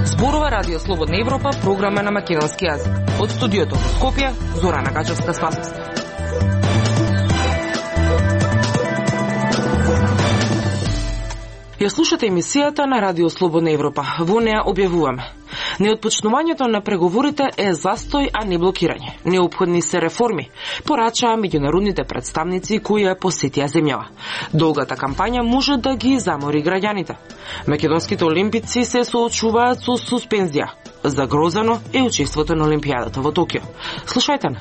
Зборува Радио Слободна Европа, програма на македонски јазик. Од студиото во Скопје, Зорана Гачевска-Спасовска. Ја слушате емисијата на Радио Слободна Европа. Во неа објавуваме: неотпочнувањето на преговорите е застој, а не блокирање. Неопходни се реформи, порачаа меѓународните представници кои ја посетија земјава. Долгата кампања може да ги замори граѓаните. Македонските олимпици се соочуваат со суспензија. Загрозено е учеството на Олимпијадата во Токио. Слушајте на.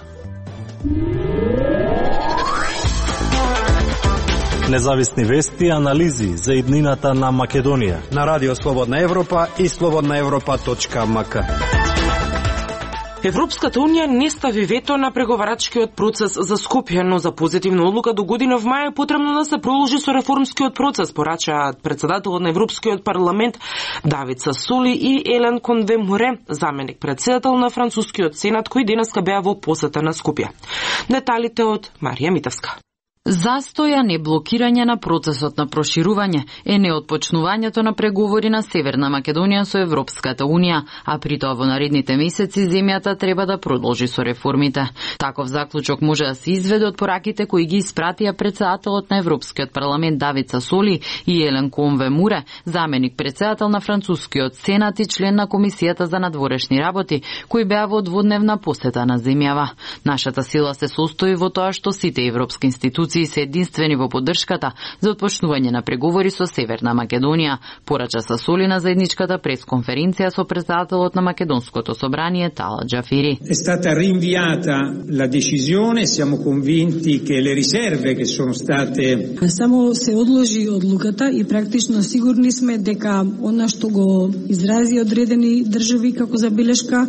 Независни вести и анализи за иднината на Македонија на Радио Слободна Европа и slobodnaevropa.mk. Европската унија не стави вето на преговарачкиот процес за Скопје, но за позитивна одлука до година мај е потребно да се продолжи со реформскиот процес, порачаат председателот на Европскиот парламент Давид Сасоли и Елен Конве-Муре, заменик председател на францускиот сенат, кој денеска беа во посета на Скопје. Деталите од Марија Митевска. Застоја, не блокирање на процесот на проширување е неотпочнувањето на преговори на Северна Македонија со Европската Унија, а при тоа во наредните месеци земјата треба да продолжи со реформите. Таков заклучок може да се изведе од пораките кои ги испратија председателот на Европскиот парламент Давид Сасоли и Елен Конве-Муре, заменик председател на францускиот сенат и член на комисијата за надворешни работи, кои беа во дводневна посета на земјава. Нашата сила се состои во тоа што сите европски институции се единствени во поддршката за отпочнување на преговори со Северна Македонија, порача Сасоли на заедничката пресконференција со председателот на Македонското собрание Тала Џафери. È stata rinviata la decisione, siamo convinti che le riserve che sono state Само се одложи одлуката и практично сигурни сме дека она што го изрази одредени држави како забелешка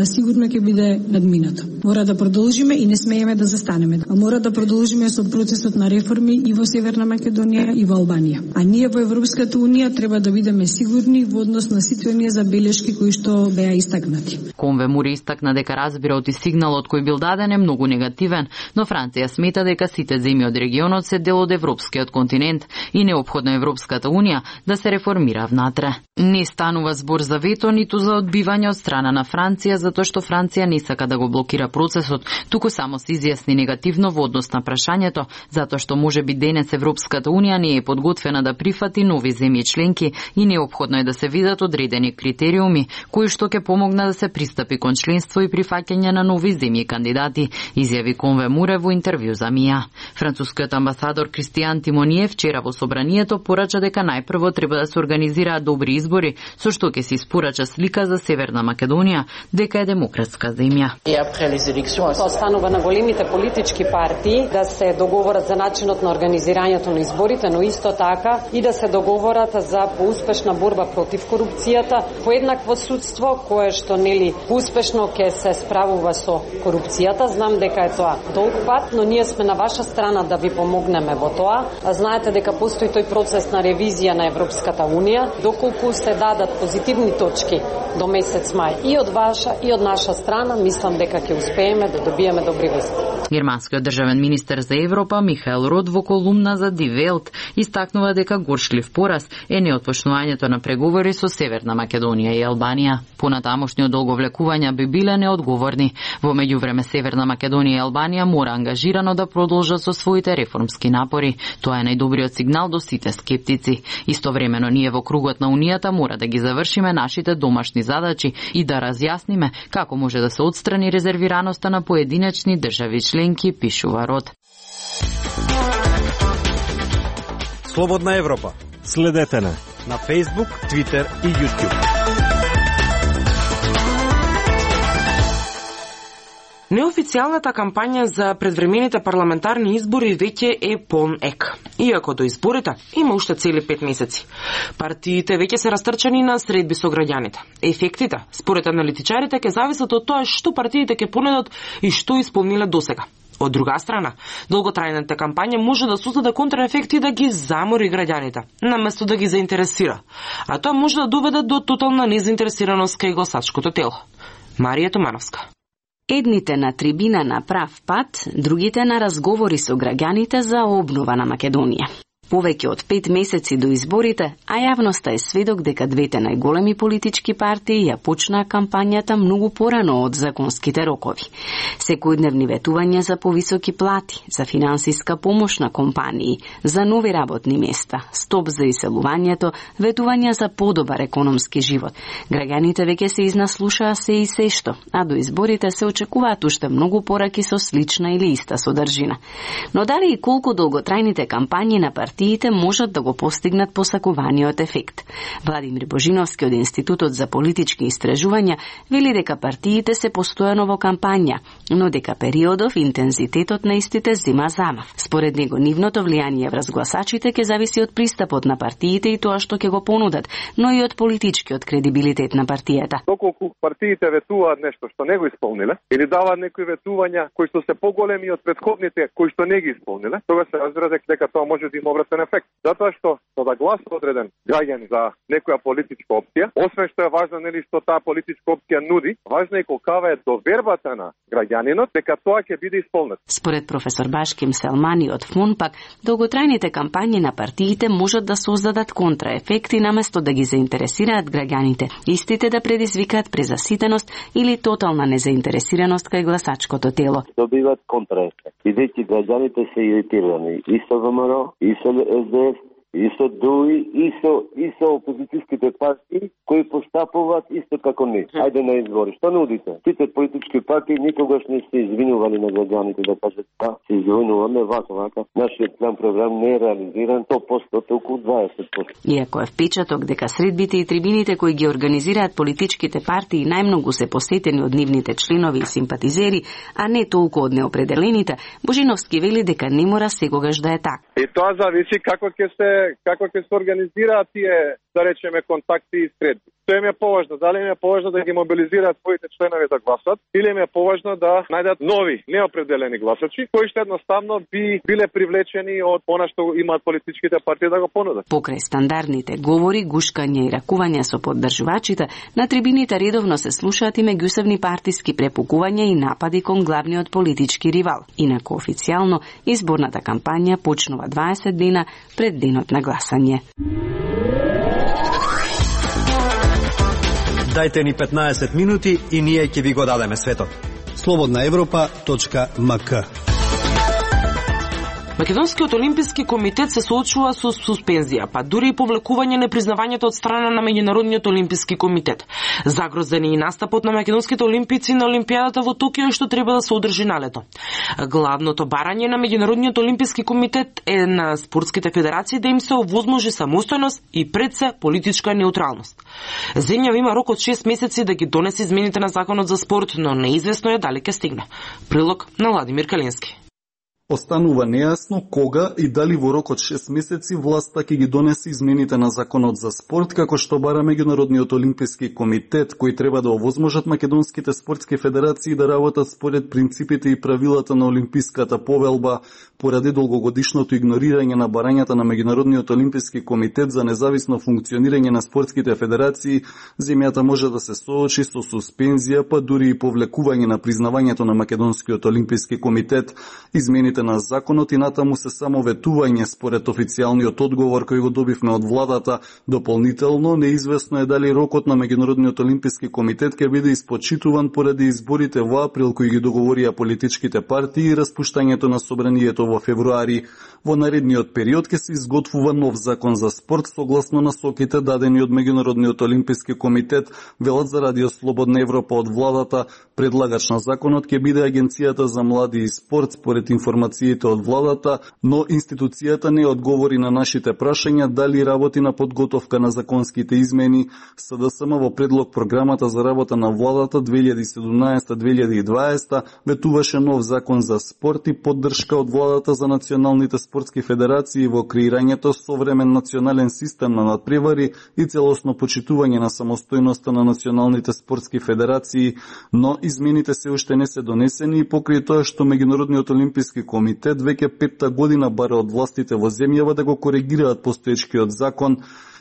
сигурно ќе биде надминато. Мора да продолжиме и не смееме да застанеме. Мора да продолжиме со процесот на реформи и во Северна Македонија и во Албанија. А ние во Европската Унија треба да бидеме сигурни во однос на сите оние забелешки кои што беа истакнати. Конве-Муре истакна дека разбирот и сигналот кој бил даден е многу негативен, но Франција смета дека сите земји од регионот се дел од европскиот континент и неопходно Европската Унија да се реформира внатре. Не станува збор за вето ниту за одбивање од страна на Франција, затоа што Франција не сака да го блокира процесот, туку само се изјасни негативно во однос на прашањето, затоа што може би денес Европската Унија не е подготвена да прифати нови земји членки и неопходно е да се видат одредени критериуми кои што ќе помогнат да се пристапи кон членство и прифаќање на нови земји кандидати, изјави Конве-Муре во интервју за МИА. Францускиот амбасадор Кристијан Тимоние вчера во собранието порача дека најпрво треба да се организираат добри избори, со што ќе се испорача слика за Северна Македонија дека е демократска земја. Останува на големите политички партии да се договорат за начинот на организирањето на изборите, но исто така и да се договорат за поуспешна борба против корупцијата, поеднакво судство кое што нели успешно ќе се справува со корупцијата. Знам дека е тоа долг пат, но ние сме на ваша страна да ви помогнеме во тоа. Знаете дека постои тој процес на ревизија на Европската Унија, доколку се дадат позитивни точки до месец мај и од ваша и од наша страна, мислам дека ќе успееме да добиеме добри вести. Германскиот државен министер за Европа Михаел Рот во колумна за Die Welt истакнува дека горшлив пораз е неотпочнувањето на преговори со Северна Македонија и Албанија. Понатамошни одолговлекувања би биле неодговорни. Во меѓувреме Северна Македонија и Албанија мора ангажирано да продолжат со своите реформски напори. Тоа е најдобриот сигнал до сите скептици. Истовремено ние во кругот на Унијата мора да ги завршиме нашите домашни задачи и да разјасниме како може да се отстрани резервираноста на поединечни држави членки, пишува Рот. Слободна Европа. Следете на Facebook, Twitter и YouTube. Неофицијалната кампања за предвремените парламентарни избори веќе е полн ек. Иако до изборите има уште цели 5 месеци. Партиите веќе се растрчани на средби со граѓаните. Ефектите, според аналитичарите, ќе зависат од тоа што партиите ќе понудат и што исполниле досега. Од друга страна, долготрајната кампања може да создаде контраефекти да ги замори граѓаните, наместо да ги заинтересира. А тоа може да доведе до тотална незаинтересираност кај гласачкото тело. Марија Томановска. Едните на трибина на прав пат, другите на разговори со граѓаните за обнова на Македонија. Повеќе од 5 месеци до изборите, а јавноста е сведок дека двете најголеми политички партии ја почнаа кампањата многу порано од законските рокови. Секојдневни ветувања за повисоки плати, за финансиска помош на компании, за нови работни места, стоп за иселувањето, ветувања за подобар економски живот. Граѓаните веќе се изнаслушаа се и сешто, а до изборите се очекуваат уште многу пораки со слична или иста содржина. Но дали и колку долготрајните кампањи на партиите можат да го постигнат посакуваниот ефект? Владимир Божиновски од Институтот за политички истражувања вели дека партиите се постојано во кампања, но дека периодов и интензитетот на истите зема замав. Според него, нивното влијание врз гласачите ќе зависи од пристапот на партиите и тоа што ќе го понудат, но и од политичкиот кредибилитет на партијата. Доколку партиите ветуваат нешто што не го исполниле или даваат некои ветувања кои што се поголеми од претходните кои што не ги исполниле, тогаш се разбира дека тоа може да има обратен ефект. Затоа што да гласа одреден граѓан за некоја политичка опција, освен што е важно нели што таа политичка опција нуди, важно е колкава е довербата на граѓанинот дека тоа ќе биде исполнет. Според професор Башким Селмани од ФОНПАК, долготрајните кампањи на партиите можат да создадат контраефекти наместо да ги заинтересираат граѓаните, истите да предизвикаат презаситеност или тотална незаинтересираност кај гласачкото тело. Добиваат контраефект. Бидејќи граѓаните се иритирани и со ВМРО, и со СДС, и со ДУИ, и со опозицијските партии кои постапуваат исто како ние. Ајде на избори. Што нудите? Сите политички партии никогаш не се извинували на граѓаните да кажат се извинуваме вака. Нашиот план програм не е реализиран 100%, толку 20%. Иако е впечаток дека средбите и трибините кои ги организираат политичките партии најмногу се посетени од нивните членови и симпатизери, а не толку од неопределените, Божиновски вели дека не мора секогаш да е така. И тоа зависи како ќе се организираат тие, да речеме, контакти и средби. Што им е поважно? Дали им е поважно да ги мобилизираат своите членови да гласат или им е поважно да најдат нови, неопределени гласачи, кои што едноставно би биле привлечени од она што имаат политичките партии да го понудат. Покрај стандардните говори, гушкања и ракувања со поддржувачите, на трибините редовно се слушаат и меѓусебни партиски препукувања и напади кон главниот политички ривал. Инаку официјално изборната кампања почнува 20 дена пред денот на гласање. Дајте ни 15 минути и ние ќе ви го дадеме светот. slobodnaevropa.mk. Македонскиот олимписки комитет се соочува со суспензија, па дури и повлекување непризнавањето од страна на Меѓународниот олимписки комитет. Загрозен е и настапот на македонските олимпици на Олимпијадата во Токио што треба да се одржи налето. Главното барање на Меѓународниот олимписки комитет е на спортските федерации да им се овозможи самостојност и пред се политичка неутралност. Земјава има рок од 6 месеци да ги донесе измените на законот за спорт, но неизвестно е дали ќе стигне. Прилог на Владимир Калински. Останува нејасно кога и дали во рок од 6 месеци власта ќе ги донесе измените на законот за спорт, како што бара Меѓународниот олимписки комитет, кои треба да овозможат македонските спортски федерации да работат според принципите и правилата на Олимписката повелба, поради долгогодишното игнорирање на барањата на Меѓународниот олимписки комитет за независно функционирање на спортските федерации. Земјата може да се соочи со суспензија, па дури и повлекување на признавањето на Македонскиот олимписки комитет. Измените на законот и натаму се само ветување според официјалниот одговор кој го добивме од владата. Дополнително, неизвестно е дали рокот на Меѓународниот олимписки комитет ќе биде испочитуван поради изборите во април кои ги договорија политичките партии и распуштањето на собранието во февруари. Во наредниот период ќе се изготвува нов закон за спорт согласно насоките дадени од Меѓународниот олимписки комитет, велат за Радио Слободна Европа од владата. Предлагач на законот ќе биде Агенцијата за млади и спорт според информациите од владата, но институцијата не одговори на нашите прашања дали работи на подготовка на законските измени. СДСМ во предлог програмата за работа на владата 2017-2020 ветуваше нов закон за спорт и поддршка од владата за националните спортски федерации во креирањето современ национален систем на надпревари и целосно почитување на самостојноста на националните спортски федерации, но измените се уште не се донесени и покрај тоа што Меѓународниот олимписки комитет веќе 5-та година бара од властите во земјава да го коригираат постоечкиот закон.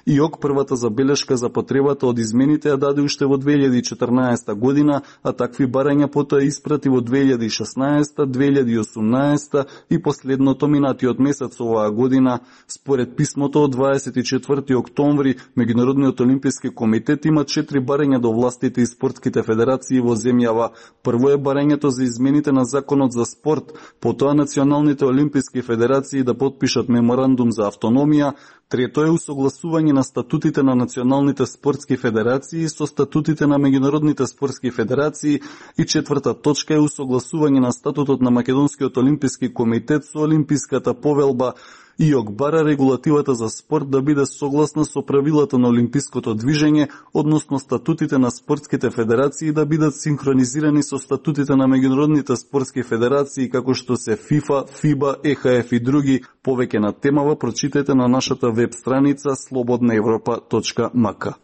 ИОК првата забелешка за потребата од измените ја даде уште во 2014 година, а такви барања потоа испрати во 2016, 2018 и последното минатиот месец оваа година. Според писмото од 24 октомври, Меѓународниот олимписки комитет има 4 барања до властите и спортските федерации во земјава. Прво е барањето за измените на законот за спорт, потоа националните олимписки федерации да потпишат меморандум за автономија. Трето е усогласување на статутите на националните спортски федерации со статутите на меѓународните спортски федерации и четврта точка е усогласување на статутот на Македонскиот олимписки комитет со Олимписката повелба. ИОК бара регулативата за спорт да биде согласна со правилата на олимпиското движење, односно статутите на спортските федерации да бидат синхронизирани со статутите на меѓународните спортски федерации како што се ФИФА, ФИБА, ЕХФ и други. Повеќе на темава прочитајте на нашата веб страница slobodnaevropa.mk.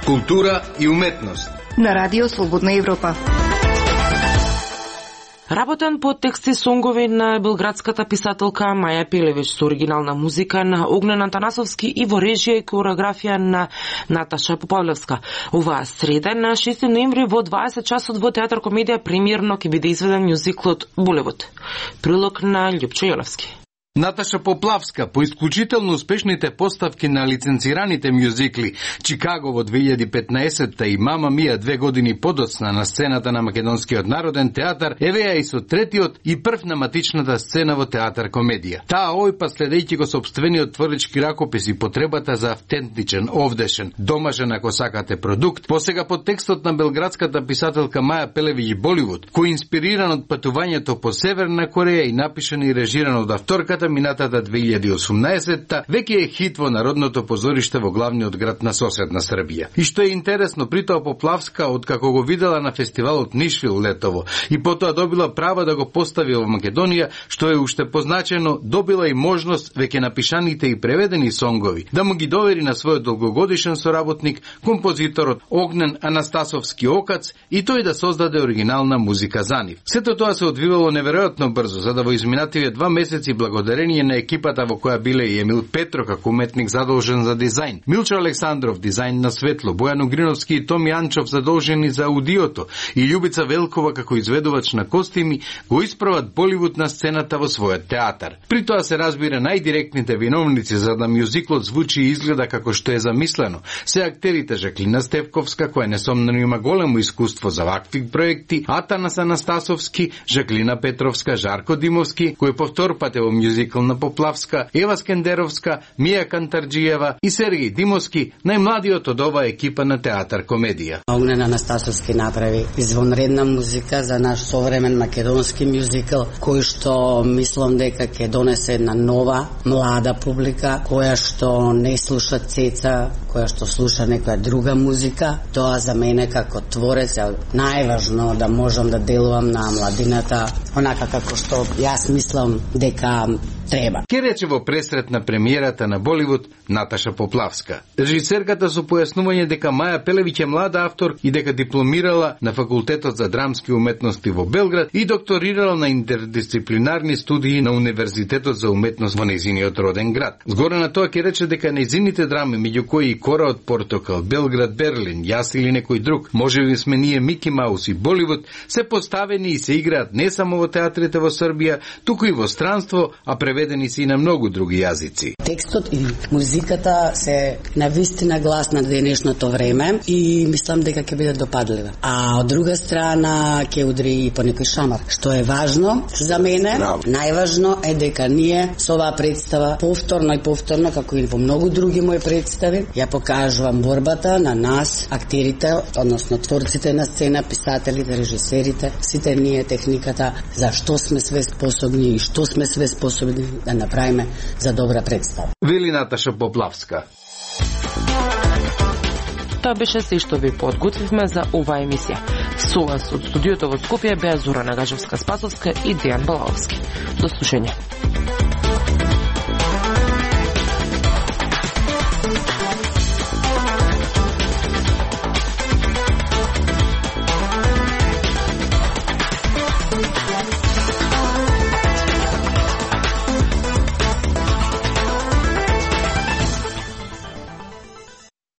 Култура и уметност на Радио Слободна Европа. Работен по тексти сонгови на белградската писателка Маја Пелевич со оригинална музика на Огнен Антанасовски и во режија и кореографија на Наташа Попавлевска. Оваа среда на 6 ноември во 20 часот во Театар Комедија премиерно ќе биде изведен мюзиклот Булевот. Прилог на Љупчо Јолевски. Наташа Поплавска по исклучително успешните поставки на лиценцираните мюзикли Чикаго во 2015 и Мама Мија 2 години подоцна на сцената на Македонскиот народен театар, евеја и со третиот и прв на матичната сцена во Театар Комедија. Таа овој пат следејќи го сопствениот творлички ракопис и потребата за автентичен, овдешен, домашен ако сакате продукт, посега под текстот на белградската писателка Маја Пелевич Боливуд, кој инспириран од патувањето по Северна Кореја и напишан и режиран од авторката минатата 2018-та, веќе е хит во Народното позориште во главниот град на соседна Србија. И што е интересно, притоа Поплавска, откако го видела на фестивалот Нишвил летово и потоа добила права да го постави во Македонија, што е уште позначено, добила и можност веќе напишаните и преведени сонгови да му ги довери на својот долгогодишен соработник, композиторот Огнен Анастасовски Окац, и тој да создаде оригинална музика за нив. Сето тоа се одвивало неверојатно брзо, за да во изминативе 2 месеци благодарение на екипата во која биле и Емил Петро како уметник задолжен за дизајн, Милчо Александров дизајн на светло, Бојан Угриновски и Томи Анчов задолжени за аудиото и Љубица Велкова како изведувач на костими го исправат Боливуд на сцената во својот театар. При тоа се разбира најдиректните виновници за да мюзиклот звучи и изгледа како што е замислено. Се актерите Жаклина Стевковска, која несомнено има големо искуство за вакви проекти, Атанас Анастасовски, Жаклина Петровска, Жарко Димовски, кој по втор пат е во мюзикл на Поплавска, Ева Скендеровска, Мија Кантарджиева и Сергеј Димовски, најмладиот од оваа екипа на Театар Комедија. Огнен Анастасовски направи извонредна музика за наш современ македонски мюзикл, кој што мислам дека ќе донесе една нова, млада публика, која што не слуша цеца, која што слуша некоја друга музика. Тоа за мене како творец е најважно да можам да делувам на младината, онака како што јас мислам дека треба. Ке рече во пресрет на премиерата на Боливуд Наташа Поплавска. Режисерката со појаснување дека Маја Пелевич е млада автор и дека дипломирала на Факултетот за драмски уметности во Белград и докторирала на интердисциплинарни студии на Универзитетот за уметност во нејзиниот роден град. Згоре на тоа ке рече дека нејзините драми, меѓу кои и Кора од Портокал, Белград, Берлин, Јас или некој друг, можеби сме ние Мики Маус и Боливуд, се поставени и се играат не само во театрите во Србија, туку и во странство, а преведени се и на многу други јазици. Текстот и музиката се навистина глас на денешното време и мислам дека ќе биде допадлива. А од друга страна ќе удри и по некој шамар. Што е важно за мене, најважно е дека ние со оваа представа повторно и повторно, како и во многу други мои представи, ја покажувам борбата на нас, актерите, односно творците на сцена, писателите, режисерите, сите ние техниката, за што сме све способни и што сме све способни да направиме за добра представа. Вели Наташа Поплавска. Тоа беше се што ви подготвивме за оваа емисија. Со вас од студиото во Скопје беа Зора Нагажевска-Спасовска и Дејан Балаовски. До слушање.